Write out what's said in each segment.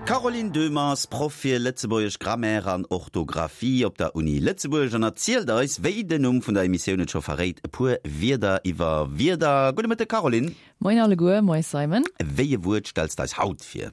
D'Caroline Döhmer ass Proff fir lëtzebuergesch Grammaire an Orthografie op der Uni Lëtzebuerg an erzielt eis, wéi den Numm vun der Emissioun et scho verréit, e puer Wierder iwwer Wierder. Gudde Mëtteg Caroline. Moien alleguer, moie Simon. Wéi e Wuert stells d'eis haut vir?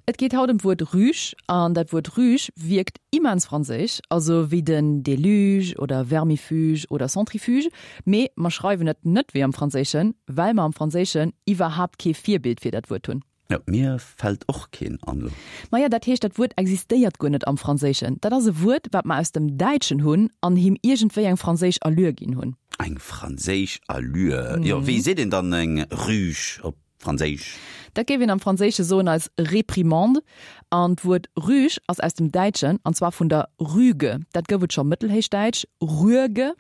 Et geet haut ëm d'Wuert Rüge an dat Wuert Rüge wierkt immens franséisch, also wéi den Déluge oder Vermifuge oder Centrifuge, mee mer schreiwen et net wéi am Franséischen, well mer am Franséischen iwwerhaapt kee Virbild fir dat Wuert hunn. Jo, mir fält och keen an elo. Maja, dat heescht, dat Wuert existéiert guer net am Franséischen. Dat ass e Wuert, wat mer aus dem Däitschen hunn an him iergendwéi eng franséisch Allure ginn hunn. Eng franséisch Allure? Jo, wéi seet een dann eng Rüge op Franséisch? Dat géif een am Franséische soen als Réprimande. An d'Wuert Rüge ass aus dem Däitschen, an zwar vun der Rüge. Dat gouf et scho mëttelhéichdäitsch, Rüege,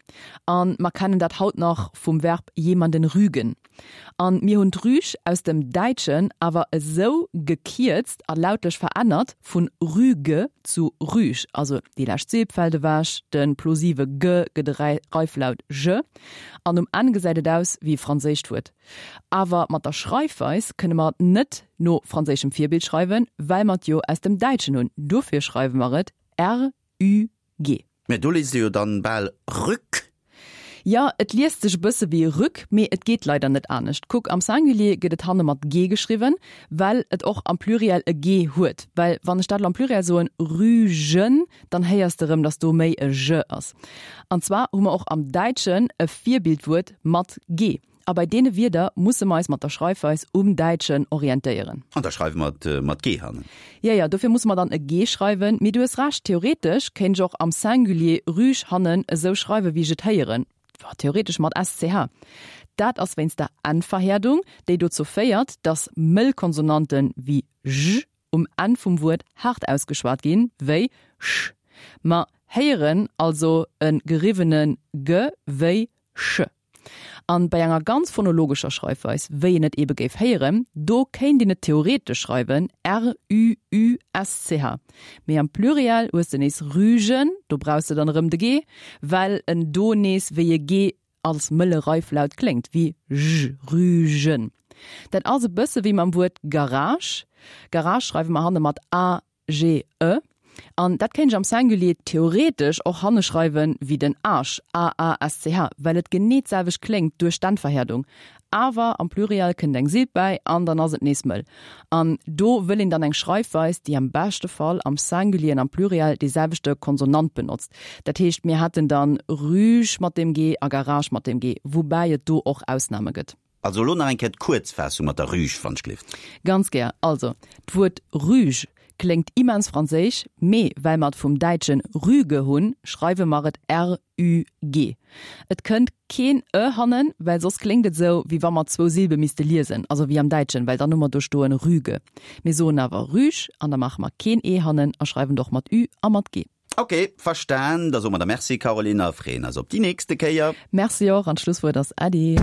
a mer kennen dat haut nach vum Verb jemanden rügen. An mir hunn d'Rüg aus dem Däitschen awer esou gekierzt a lautlech verännert, vun Rüge zu Rüg, also déi lescht Silb fält ewech, de plosive g gëtt e Reiflaut j, an um Enn gesäit et aus wéi e franséischt Wuert. Awer mat der Schreifweis kënne mer et net no franséischem Virbild schreiwen, well mer et jo aus dem Däitschen hunn. Dofir schreiwe mer et r-ü-g. Mä do liest ee jo dann bal Rück. Jo, et liest sech e bësse wéi Rück, mee et geet leider net anescht. Kuck, am Singulier gëtt et hanne mat g geschriwwen, well et och am Pluriel e g huet. Well wann ech dat elo am Pluriel soen, Rügen, dann héiers de erëm, datt do méi e j ass. An zwar hu mer och am Däitschen e Virbildwuert mat g. A bei deene Wierder musse mer eis mat der Schreifweis um Däitschen orientéieren. An da schreiwe mer et mat g hannen. Jo, jo, dofir musse mer dann e g schreiwen. Mee du hues Recht, theoretesch kéint ech och am Singulier rüg hannen esou schreiwen, wéi ech et héieren, theoretesch mat sch. Dat ass wéinst der N-Verhäerdung, déi dozou féiert, datt mëll Konsonanten wéi j um Enn vum Wuert haart ausgeschwat ginn, wéi sch. Mer héieren also e geriwwene g wéi sch. An bei enger ganz phonologescher Schreifweis, wéi een et ebe géif héieren, do kéint een et theoretesch schreiwen, r-ü-ü-s-c-h. Mee am Pluriel hues de nees Rügen, do brauchs de dann erëm de g, well en do nees wéi e g als mëlle Reiflaut kléngt, wéi j, Rügen. Dat ass e bësse wéi mam Wuert Garage. Garage schreiwe mer hanne mat a G, e. An dat kéint ech am Singulier theoretesch och hanne schreiwen wéi den Aasch, a-a-s-c-h, well et genee d'selwecht kléngt duerch d'Endverhäerdung. Awer am Pluriel kënnt eng Silb bäi an dann ass et nees mëll. An do wëll een dann eng Schreifweis, déi am beschte Fall am Singulier an am Pluriel dee selwechte Konsonant benotzt. Dat heescht, mir hätten dann Rüge mat dem G a Garage mat dem G, woubäi et do och Ausname gëtt. Also elo nach eng Kéier d'Kuerzfaassung mat der Rüge, wann ech gleeft. Ganz gär. Also, d'Wuert Rüge kléngt immens franséisch, mee well mer et vum däitsche Rüge hunn, schreiwe mer et r-ü-g. Et kënnt keen e hannen, well soss kléngt et esou, wéi wa mer zwou Silbe misste liesen, also wéi am Däitschen, well dann hu mer do stoen Rüge. Mir soen awer Rüg an da maache mer keen e hannen a schreiwen et och mat ü a mat g. Ok, verstan. Da soe mer der Merci, Caroline, a freeën eis op déi nächste Kéier. Merci och, an d'Schlusswuert ass Äddi.